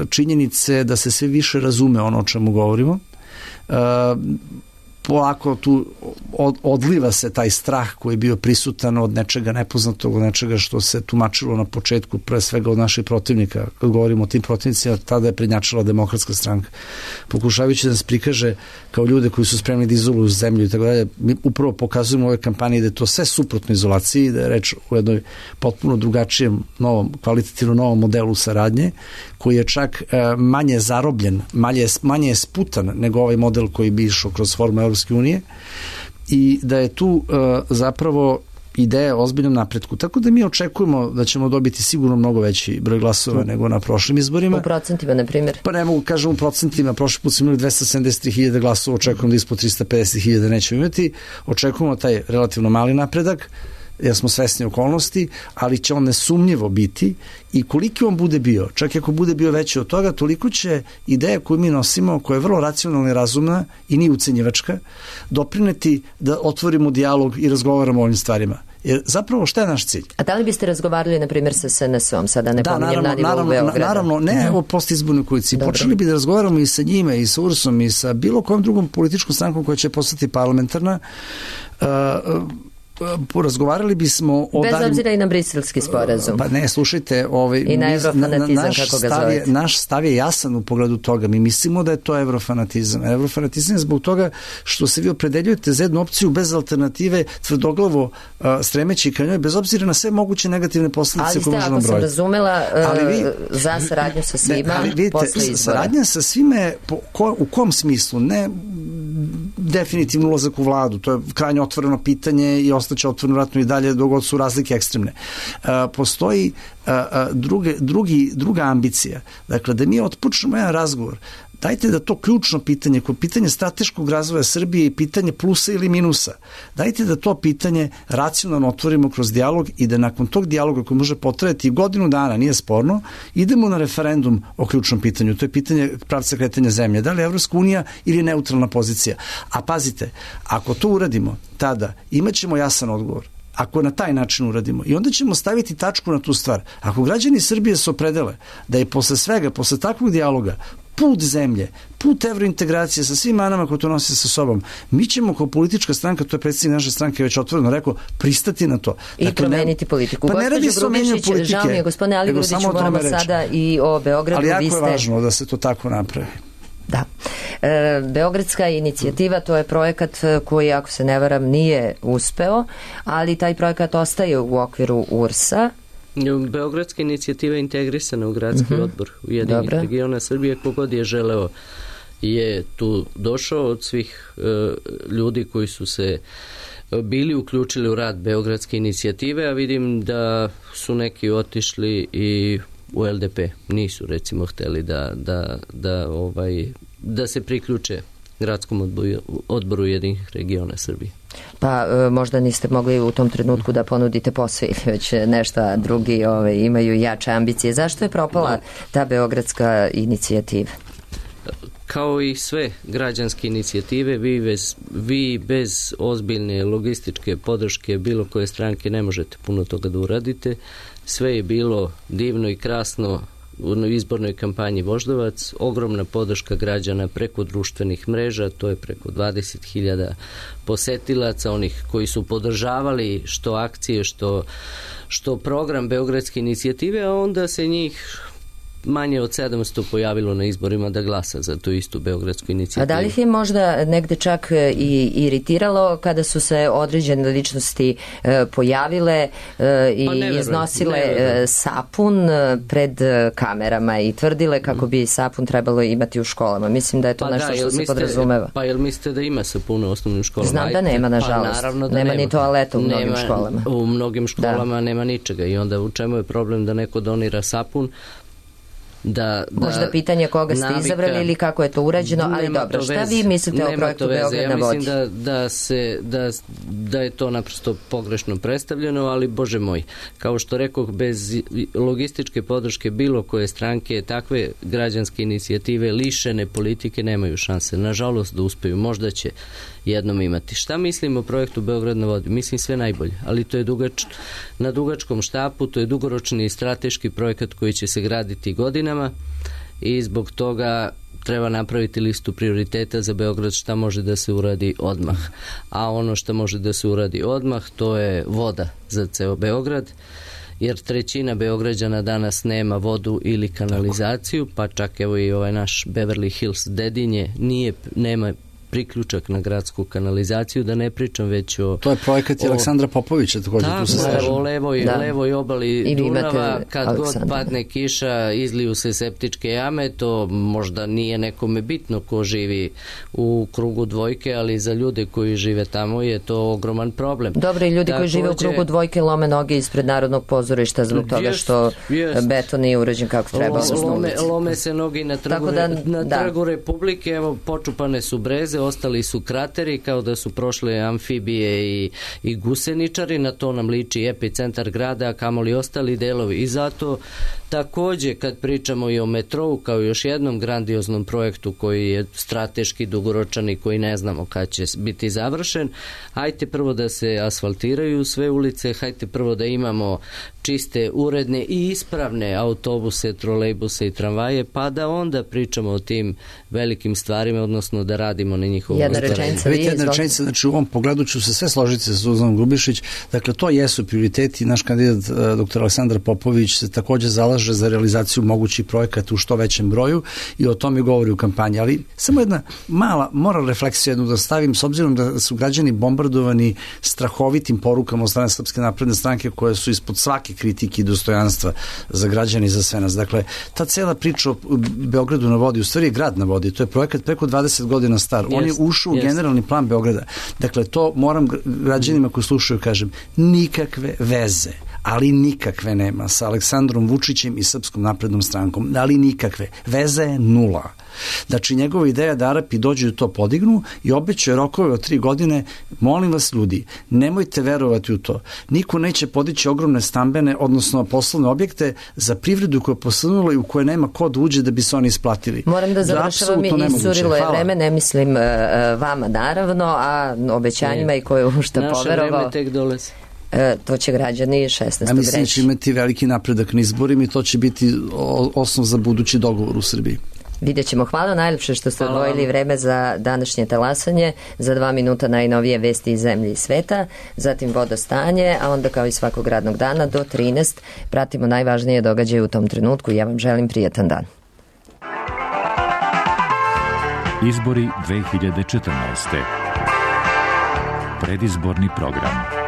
činjenice da se sve više razume ono o čemu govorimo. Polako tu odliva se taj strah koji je bio prisutan od nečega nepoznatog, od nečega što se tumačilo na početku, pre svega od naših protivnika. Kad govorimo o tim protivnicima, tada je prednjačila Demokratska stranka. Pokušavajući da nas prikaže kao ljude koji su spremni da izoluju zemlju i tako dalje, mi upravo pokazujemo u ovoj kampanji da je to sve suprotno izolaciji, da je reč o jednoj potpuno drugačijem, kvalitativno novom modelu saradnje, koji je čak manje zarobljen, manje je sputan nego ovaj model koji bi išao kroz formu Evropske unije i da je tu zapravo ideja o ozbiljnom napretku. Tako da mi očekujemo da ćemo dobiti sigurno mnogo veći broj glasova nego na prošlim izborima. U procentima, na primjer? Pa ne mogu kažem u procentima. Prošli put smo imali 273.000 glasova, očekujemo da ispod 350.000 nećemo imati. Očekujemo taj relativno mali napredak, jer smo svesni okolnosti, ali će on nesumnjivo biti i koliki on bude bio, čak i ako bude bio veći od toga, toliko će ideja koju mi nosimo, koja je vrlo racionalna i razumna i nije ucenjivačka, doprineti da otvorimo dijalog i razgovaramo o ovim stvarima. Jer zapravo šta je naš cilj? A da li biste razgovarali, na primjer, sa SNS-om, sada ne pominjem na nivou Beograda? Naravno, ne o postizbornoj koaliciji. Počeli bi da razgovaramo i sa njima, i sa URS-om, i sa bilo kojom drugom političkom strankom koja će postati parlamentarna. Porazgovarali bismo o bez obzira i na briselski sporazum. Pa ne, slušajte, i na evrofanatizam, kako ga zovete. Naš stav je jasan u pogledu toga. Mi mislimo da je to evrofanatizam. Evrofanatizam je zbog toga što se vi opredeljujete za jednu opciju bez alternative, tvrdoglavo stremeći ka njoj, bez obzira na sve moguće negativne posljedice koje možemo brojiti. Ali ste, ako sam razumela, za saradnju sa svima, posle izbora. Saradnja sa svime, u kom smislu? Ne definitivno ulazak u vladu, to je krajnje otvoreno pitanje i ostaće otvoreno vratno i dalje dok god su razlike ekstremne. Postoji druga ambicija. Dakle, da mi otpočnemo jedan razgovor dajte da to ključno pitanje, koje pitanje strateškog razvoja Srbije i pitanje plusa ili minusa, dajte da to pitanje racionalno otvorimo kroz dijalog i da nakon tog dijaloga koji može potrajati godinu dana, nije sporno, idemo na referendum o ključnom pitanju. To je pitanje pravca kretanja zemlje. Da li je Evropska unija ili neutralna pozicija? A pazite, ako to uradimo, tada imaćemo jasan odgovor. Ako na taj način uradimo. I onda ćemo staviti tačku na tu stvar. Ako građani Srbije se opredele da je posle svega, posle takvog dijaloga, put zemlje, put evrointegracije sa svim manama koje to nosi sa sobom, mi ćemo kao politička stranka, to je predsjednik naše stranke već otvoreno rekao, pristati na to. I promeniti politiku. Pa ne radi se o menjanju politike. Žao mi je, gospodine Aligrudiću, moramo sada i o Beogradu. Ali jako je važno da se to tako napravi. Da. Beogradska inicijativa, to je projekat koji, ako se ne varam, nije uspeo, ali taj projekat ostaje u okviru URS-a. Beogradska inicijativa je integrisana u gradski odbor Ujedinjenih regiona Srbije. Kogod je želeo je tu došao od svih ljudi koji su se bili uključili u rad Beogradske inicijative, a vidim da su neki otišli i u LDP. Nisu recimo hteli da se priključe gradskom odboru Ujedinjenih regiona Srbije. Pa možda niste mogli u tom trenutku da ponudite posao ili već nešto, a drugi imaju jače ambicije. Zašto je propala ta Beogradska inicijativa? Kao i sve građanske inicijative, vi bez ozbiljne logističke podrške bilo koje stranke ne možete puno toga da uradite. Sve je bilo divno i krasno u izbornoj kampanji Voždovac, ogromna podrška građana preko društvenih mreža, to je preko 20.000 posetilaca, onih koji su podržavali što akcije, što program Beogradske inicijative, a onda se njih manje od 700 pojavilo na izborima da glasa za tu istu Beogradsku inicijativu. A da li ih je možda negde čak i iritiralo kada su se određene ličnosti pojavile i iznosile sapun pred kamerama i tvrdile kako bi sapun trebalo imati u školama? Mislim da je to nešto što se podrazumeva. Pa jel mislite da ima sapuna u osnovnim školama? Znam da nema, nažalost. Nema ni toaleta u mnogim školama. U mnogim školama nema ničega i onda u čemu je problem da neko donira sapun? Možda pitanje koga ste izabrali ili kako je to urađeno, ali dobro, šta vi mislite o projektu Beograd na vodi? Ja mislim da je to naprosto pogrešno predstavljeno, ali bože moj, kao što rekoh, bez logističke podrške bilo koje stranke, takve građanske inicijative lišene politike nemaju šanse, nažalost, da uspeju. Možda će jednom imati. Šta mislim o projektu Beograd na vodi? Mislim sve najbolje, ali to je na dugačkom štapu, to je dugoročni strateški projekat koji će se graditi godinama i zbog toga treba napraviti listu prioriteta za Beograd šta može da se uradi odmah. A ono što može da se uradi odmah, to je voda za ceo Beograd, jer 1/3 Beograđana danas nema vodu ili kanalizaciju, pa čak evo i ovaj naš Beverly Hills Dedinje nema priključak na gradsku kanalizaciju, da ne pričam već o... To je projekat Aleksandra Popovića, također tu se slažem. O levoj obali Dunava, kad god padne kiša, izliju se septičke jame, to možda nije nekome bitno ko živi u krugu dvojke, ali za ljude koji žive tamo je to ogroman problem. Dobro, i ljudi koji žive u krugu dvojke lome noge ispred Narodnog pozorišta zbog toga što beton nije urađen kako treba. Lome se noge na trgu Republike, evo počupane su breze, ostali su krateri kao da su prošle amfibije i guseničari, na to nam liči epicentar grada, a kamoli ostali delovi. I zato takođe kad pričamo i o metrou kao još jednom grandioznom projektu koji je strateški dugoročan i koji ne znamo kad će biti završen, hajte prvo da se asfaltiraju sve ulice, hajte prvo da imamo čiste, uredne i ispravne autobuse, trolejbuse i tramvaje, pa da onda pričamo o tim velikim stvarima, odnosno da radimo na njihovom ostvarenju. Jedna rečenica, znači u ovom pogledu ću se sve složiti sa Suzanom Grubišić, dakle to jesu prioriteti, naš kandidat dr. Aleksandar Popović se takođe zalaže za realizaciju mogućih projekata u što većem broju i o tome govori u kampanji, ali samo jedna mala moral refleksija jednu da stavim, s obzirom da su građani bombardovani strahovitim porukama od strane Srpske napredne stranke koje su ispod svake kritike i dostojanstva za građani i za sve nas. Dakle, ta cela priča o Beogradu na vodi, u stvari je grad na vodi, to je projekat preko 20 godina star. On je ušao u generalni plan Beograda. Dakle, to moram građanima koji slušaju kažem, nikakve veze, ali nikakve nema sa Aleksandrom Vučićem i Srpskom naprednom strankom, ali nikakve. Veza je nula. Znači, njegova ideja da Arapi dođu da to podignu i obećaju rokove od 3 godine. Molim vas, ljudi, nemojte verovati u to. Niko neće podići ogromne stambene, odnosno poslovne objekte za privredu koja je posrnula i u koje nema ko da uđe da bi se oni isplatili. Moram da završavam, i iscurilo je vreme, ne mislim vama naravno, a obećanjima i koje u šta poverovao. Naše vreme tek dolazi. To će građani 16. Ja mislim da će imati veliki napredak na izborima i to će biti osnov za budući dogovor u Srbiji. Vidjet ćemo. Hvala najlepše što ste odvojili vreme za današnje talasanje, za 2 minuta najnovije vesti iz zemlje i sveta, zatim vodostanje, a onda kao i svakog radnog dana do 13 pratimo najvažnije događaje u tom trenutku. Ja vam želim prijatan dan. Izbori 2014. Predizborni program.